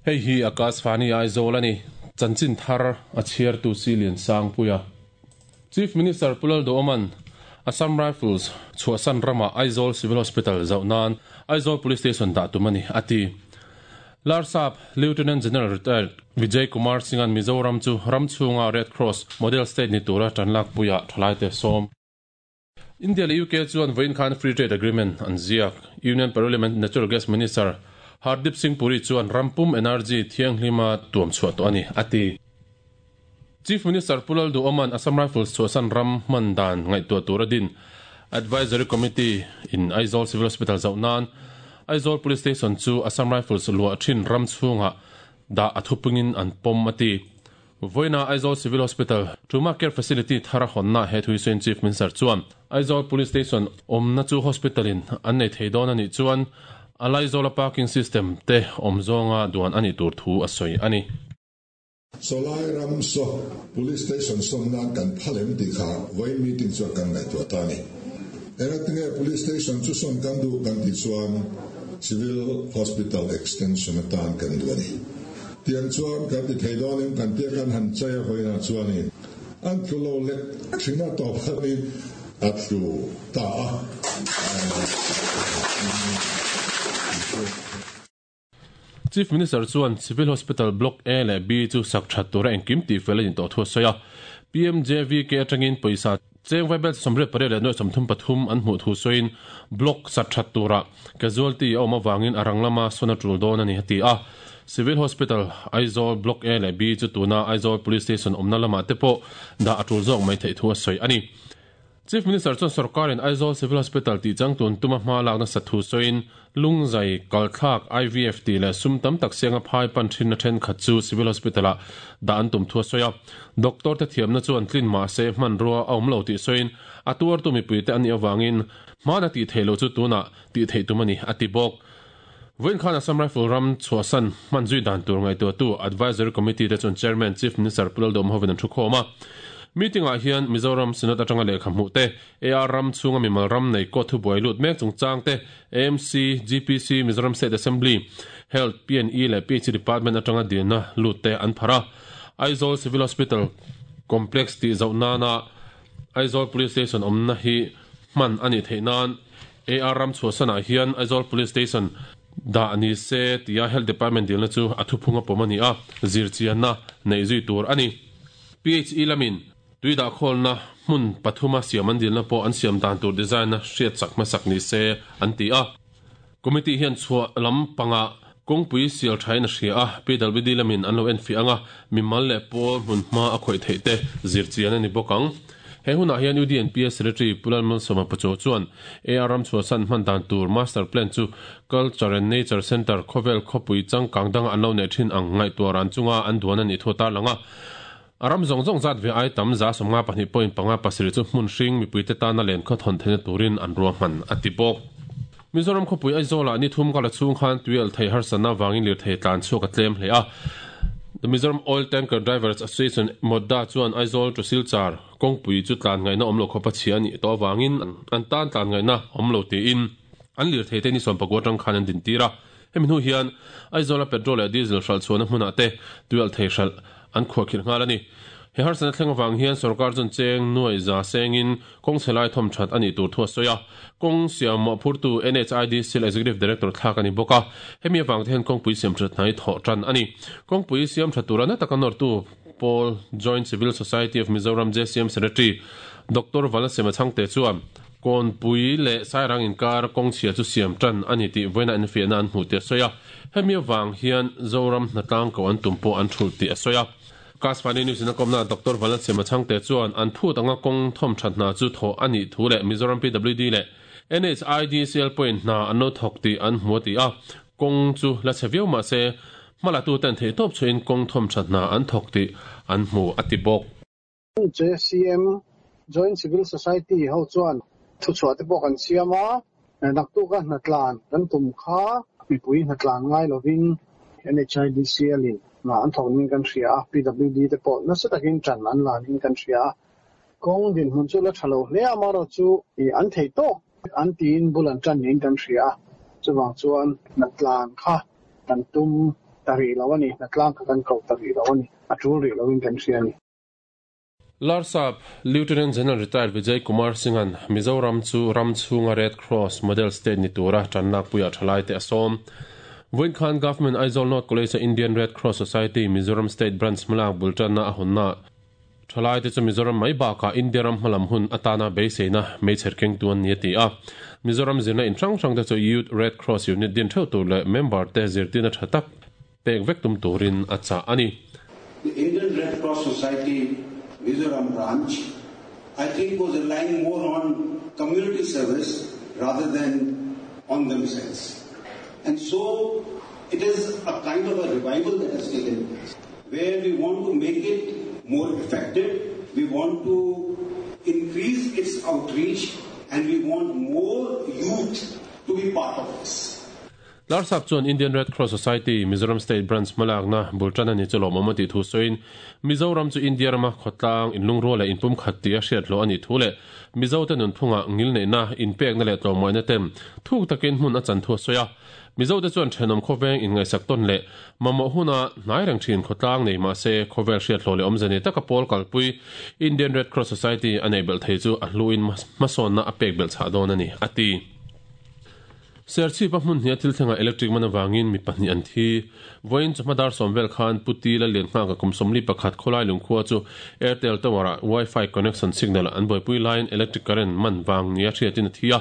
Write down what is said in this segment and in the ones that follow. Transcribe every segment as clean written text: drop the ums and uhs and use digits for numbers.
Hei hi Akashvani Aizawl a ni. Chanchin thar a chhiartu Silian Sangpuia. Chief Minister Pu Lalduhoma'n Assam Rifles chhuahsan rama Aizawl Civil Hospital zauh nan Aizawl Police Station dah tum a ni, a ti. Larsap Lieutenant General Retired Vijay Kumar Singh-a'n Mizoram chu ram chhunga Red Cross Model State ni tura tanlakpuiah thalaite sawm. India leh UK chuan vawiin khan Free Trade Agreement an ziak. Union Parliament Natural Gas Minister Hardeep Singh Puri chuan ram pum energy thianghlima tuam chhuah tawh a ni, a ti. Chief Minister Pu Lalduhoma'n Assam Rifles chhuahsan ram hman dan ngaihtuah tura din Advisory Committee in Aizawl Civil Hospital zauh nan Aizawl Police Station chu Assam Rifles luah thin ram chhungah dah a thupungin an pawm a ti. Vawiina Aizawl Civil Hospital Trauma Care Facility thar a hawnna he thuisawiin Chief Minister chuan Aizawl Police Station awmna chu hospital in an nei thei dawn a nih chuan a Laizawla parking system te awm zawnga duan a nih tur thu a sawi a ni. Sawlai ram saw Police Station sawn nan kan phal em tih kha vawiin meeting chuan kan ngaihtuah ta a ni. Engatinge Police Station chu sawn kan duh kan tih chuan Civil Hospital Extension atan kan duh a ni. Tiang chuan kan ti thei dawn em kan tia kan han chai a vawiinah chuanin an tlu lo lek thin a tawp khanin a tlu ta a. Chief Minister chuan Civil Hospital Block A leh B chu sak that tura engkim tih fel a nih tawh thu a sawi a. PMJVK atangin pawisa cheng vaibel 88 leh nuaih 33 an hmuh thu sawiin Block sak that tura casualty a awm avangin a rang lama sawn a tul dawn a ni a ti a. Civil Hospital Aizawl Block A leh B chu tuna Aizawl Police Station awmna lamah te pawh dah a tul zawk mai theih thu a sawi a ni. Chief Minister chuan sorkarin Aizawl Civil Hospital tih changtlun tuma hma lak nasat thu sawiin, Lungzai, kalthlak, IVF tih leh sum tam tak sianga phai pan thinna thenkhat chu Civil Hospital-ah dah an tum thu a sawi a. Doctor te thiamna chuan tlin mah se hmanrua a awm lo tih sawiin, a tuartu mipuite an nih avangin hmana tih theih loh chu tunah tih theih tum a ni, a ti bawk. Vawiin khan Assam Rifle ram chhuahsan hman zui dan tur ngaihtuahtu Advisory Committee te chuan Chairman Chief Minister Pu Laldawm hovin an thukhawm a. Meeting ah hian Mizoram Synod atanga lehkha hmuh te, AR ram chhunga mimal ram nei court thubuai lut mek chungchang te, AMC, GPC, Mizoram State Assembly, Health, PNE leh PHE Department atanga dilna lut te an phar a. Aizawl Civil Hospital Complex tih zauh nana Aizawl Police Station awmna hi hman a nih theih nan AR ram chhuahsanah hian Aizawl Police Station dah ni se tia Health Department dilna chu a thuphung a pawm a ni a, zirchianna neih zui tur a ni. PHE lamin tui dahkhawlna hmun pathuma siam an dilna pawh an siam dan tur design-a hriat chak hmasak ni se an ti a. Committee hian chhuah lam pangah kawngpui sial thain a hria a, PWD lamin an lo enfiah ang a, mimal leh pawl hmun hma a khawih theih te zirchian a ni bawk ang. He hunah hian UDNPS Secretary Pu Lalmalsawma Pachaw chuan AR ram chhuahsan hman dan tur Master Plan chu Culture and Nature Centre khawvel khawpui changkang danga an lo neih thin ang ngaihtuah ran chunga an duan a nih thu a tarlang a. A ram zawng zawng zat ve ai tam 52.5 pasarih chu hmun hring mipuite tana len khaw thawn theihna turin an ruahman a ti bawk. Mizoram khawpui Aizawlah ni thum kala chhung khan tuialh thei harsatna avangin lirthei tlan chhuak a tlem hle a. The Mizoram Oil Tanker Drivers Association, MOTDA, chuan Aizawl to Silchar kawngpui chu tlan ngaihna awm lo khawpa chhia a nih tawh avangin an tan tlan ngaihna awm lo tiin an lirthei te ni sawmpakua atang khan an dintir a. Hemi hnu hian Aizawla petrol leh diesel hralh chhuahna hmunah te tuialh thei hralh an khuahkhirh nghal a ni. He harsatna thleng avang hian sorkar chuan cheng nuai za sengin kawng chhe lai thawm that a nih tur thu a sawi a. Kawng siam mawhphurtu NHIDCL Executive Director thlak a ni bawk a. Hemi avang te hian kawngpui siam that hna hi thawh tan a ni. Kawngpui siam tha tura na taka nawrtu pawl Joint Civil Society of Mizoram, JCM, Secretary Doctor Valasema Chhangte chuan Kawnpui leh Sairang inkar kawng chhia chu siam tan a ni tih vawiina enfiahna an hmuh tih a sawi a. Hemi avang hian Zoram hnatlang koh an tum pawh an thulh tih a sawi a. Kasvani News in a kawmna Doctor Vanlalchhema Chhangte chuan an phut anga kawng thawm that hna chu thawh a nih thu leh Mizoram PWD leh NHIDCL pawhin hna an lo thawk tih an hmu a ti a. Kawng chu la chhe viau mah se hmalatuten theihtawp chhuahin kawng thawm that hna an thawk tih an hmu a ti bawk. JCM, Joint Civil Society, ho chuan thuchhuah te pawh kan siam a, naktuka hnatlan kan tum kha mipui hnatlan ngai lovin NHIDCL in hna an thawk ning kan hria a, PWD te pawh nasa takin tan an la ning kan hria a. Kawng dinhmun chu la tha lo hle a, amaherawhchu an thei tawk an tiin bul an tan niin kan hria a, chuvang chuan hnatlan kha kan tum ta rih lo a ni, hnatlang kha kan ko ta rih lo a ni, a tul rih loin kan hria a ni. Larsap, Lieutenant General Retired Vijay Kumar Singh-a'n Mizoram chu ram chhunga Red Cross Model State ni tura tanlakpuiah thalaite a sawm. Vawiin khan Government Aizawl North College-a Indian Red Cross Society Mizoram State Branch hmalak bul tanna a hawnnaah thalaite chu Mizoram mai bakah India ram hmalam hun atana beiseina meichher kengtu an ni a ti a. Mizoram zirna in hrang hrangte chu Youth Red Cross Unit din theuh tur leh member-te zirtirna tha tak pek vek tum turin a chah a ni. The Indian Red Cross Society Mizoram Branch I think was relying more on community service rather than on themselves. And so it is a kind of a revival that has taken place where we want to make it more effective, we want to increase its outreach and we want more youth to be part of this. Larsap chuan Indian Red Cross Society, Mizoram State Branch hmalakna bul tan a ni chu lawmawm a tih thu sawiin, Mizoram chu India rama khawtlang, inlungrual leh inpumkhat tih a hriat hlawh a nih thu leh Mizote nunphunga ngilneihna, inpekna leh tlawmngaihna ten thuk takin hmun a chan thu a sawi a. Mizote chuan thenawm khawveng inngaihsak tawn leh mamawh huna hnai reng thin khawtlang nei mahse khawvel hriat hlawh leh awmze nei taka pawl kalpui Indian Red Cross Society a neih belh thei chu a hluin hmasawnna a pek belh chhah dawn a ni, a ti. Serchhipa hmun hnia thil thlengah electric man avangin mi pahnih an thi. Vawiin chawhma dar sawm vel khan Pu Ti Lallianghaka kum 41 khawlai lungkhua chu Airtel Tower-ah Wi-Fi connection signal an buaipui laiin electric current man vang nia hriatin a thi a.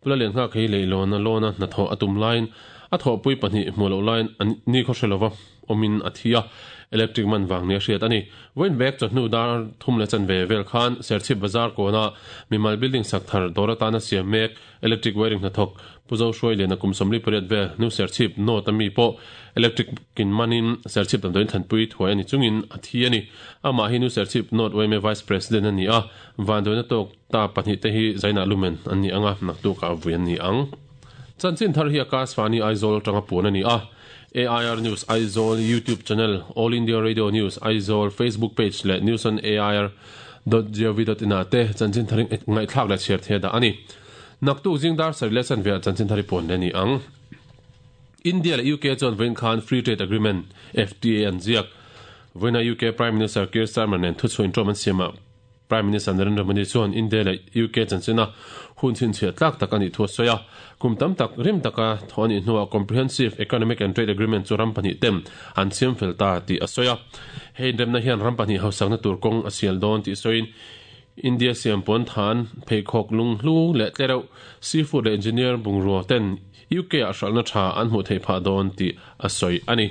Pu Lallianghaka hi leihlawn a lawn a hnathawh a tum laiin a thawhpui pahnih hmuh loh laiin a nikhaw hre lova awmin a thi a, electric man vang nia hriat a ni. Vawiin vek chawhnu dar thum leh chanve vel khan Serchhip Bazar kawnah mimal building sak thar dawr atana siam mek Electric wiring hnathawk Pu Zohruai Liana kum 48 vel nu Serchhip North a mi pawh electric kin manin Serchhip damdawiin thlanpui thuai a ni chungin a thi a ni. Amah hi nu Serchhip North yma Vice President a ni a, vanduaina tawk ta pahnih te hi Zainah Lumen an ni ang a, naktukah vui an ni ang. Chanchin thar hi Akashvani Aizawl atanga puan a ni a, AIR News Aizawl YouTube channel, All India Radio News Aizawl Facebook page leh News on AIR dot gov dot in ah te chanchin thar ngaihthlak leh chhiar thei a dah a ni. Naktuk zing dar sarih leh chanve ah chanchin thar i puan leh a ni ang. India leh UK chuan vawiin khan Free Trade Agreement, FTA, an ziak. Vawiina UK Prime Minister Keir Starmer nen thuchhuah inṭawm an siamah Prime Minister Narendra Modi chuan India leh UK chanchina hun chhinchhiah tlak tak a nih thu a sawi a. Kum tam tak rim taka thawh a nih hnuah Comprehensive Economic and Trade Agreement chu ram pahnih tem an siam fel ta tih a sawi a. Hei inremna hian ram pahnih hausakna tur kawng a sial dawn tih sawiin India siam puan than, pheikhawk lunghlu leh tlereuh, seafood leh engineer bungrua ten UK ah hralhna tha an hmuh theih phah dawn tih a sawi a ni.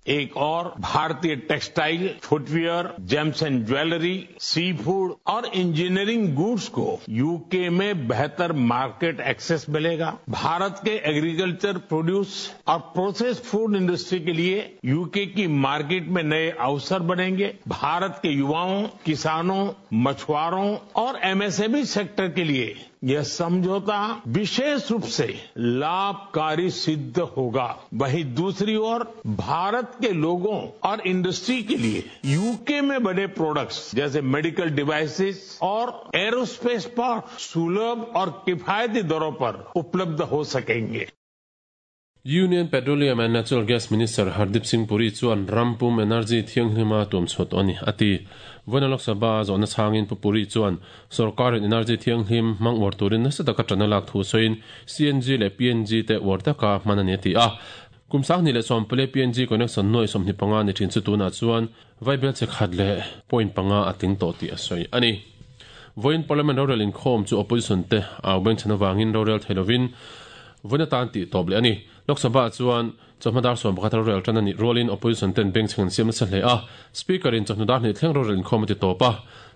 एक और भारतीय textile footwear gems and jewellery sea food और engineering goods को UK में बेहतर market access मिलेगा भारत के agriculture produce और process food industry के लिए यूके की मार्केट में नए अवसर बनेंगे भारत के युवाओं किसानों मछुआरों और एमएसएमई सेक्टर के लिए यह समझौता विशेष रूप से लाभकारी सिद्ध होगा वहीं दूसरी ओर भारत के लोगों और इंडस्ट्री के लिए यूके में बने प्रोडक्ट्स जैसे मेडिकल डिवाइसेस और एरोस्पेस पार्ट सुलभ और किफायती दरों पर उपलब्ध हो सकेंगे Union Petroleum and Natural Gas Minister Hardeep Singh Puri chuan ram pum energy thianghlima tuam chhuat tawh a ni, a ti. Vawiina Lok Sabha zawhna chhangin Pu Puri chuan sorkarin energy thianghlim hmang uar turin nasa taka tan a lak thu sawiin CNG leh PNG te uar taka hman a ni a ti a. Kum 2014 PNG connection nuai 25 ni thin chu tunah chuan Vaibel che khat leh point panga a tling tawh tih a sawi a ni. Vawiin Parliament rorel inkhawm chu opposition te au bengchhan avangin rorel thei lovin vawiin atan tih tawp leh a ni. Lok Sabha chuan chawhma dar 11 rorel tan a nih rualin opposition ten bengchheng an siam nasa hle a. Speaker in chawhnu dar hnih thleng rorel inkhawm a ti tawp a.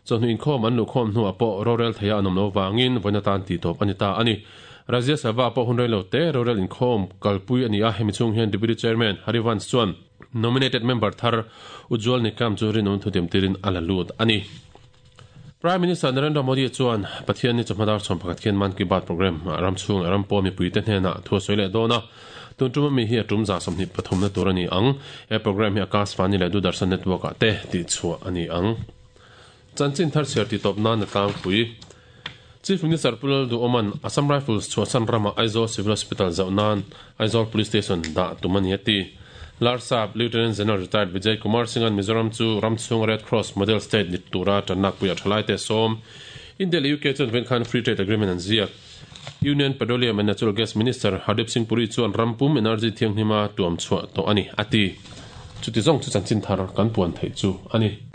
Chawhnu inkhawm an luhkhawm hnuah pawh rorel theia an awm lo vangin vawiin atan tih tawp a ni ta a ni. Rajya Sabha pawh hun reilo te rorel inkhawm kalpui a ni a, hemi chhung hian Deputy Chairman Harivansh chuan Nominated member thar Ujjwal Nikam chu rinawm thutiam tirin a la lut a ni. Prime Minister Narendra Modi chuan Pathianni chawhma dar 11 khian Mann Ki Baat programme ah ram chhung leh ram pawh mipuite hnenah thu a sawi leh dawn a. Tun tum ami hi a tum za 23 na tur a ni ang. He programme hi Akashvani leh Doordarshan network ah te tihchhuah a ni ang. Chanchin thar chhiar titawp nan a tlangpui. Chief Minister Pu Lalduhoma'n Assam Rifles chhuahsan rama Aizawl Civil Hospital zauh nan Aizawl Police Station dah tum a ni a ti. Larsap Lieutenant General Retired Vijay Kumar Singh-a'n Mizoram chu ram chhunga Red Cross Model State ni tura tanlakpuiah thalaite sawm India leh UK chuan venkhan Free Trade Agreement an ziak. Union Petroleum and Natural Gas Minister Hardeep Singh Puri chuan ram pum energy thianghlima tuam chhuah tawh a ni, a ti. Chuti zawng chu chanchin thar kan puan theih chu a ni.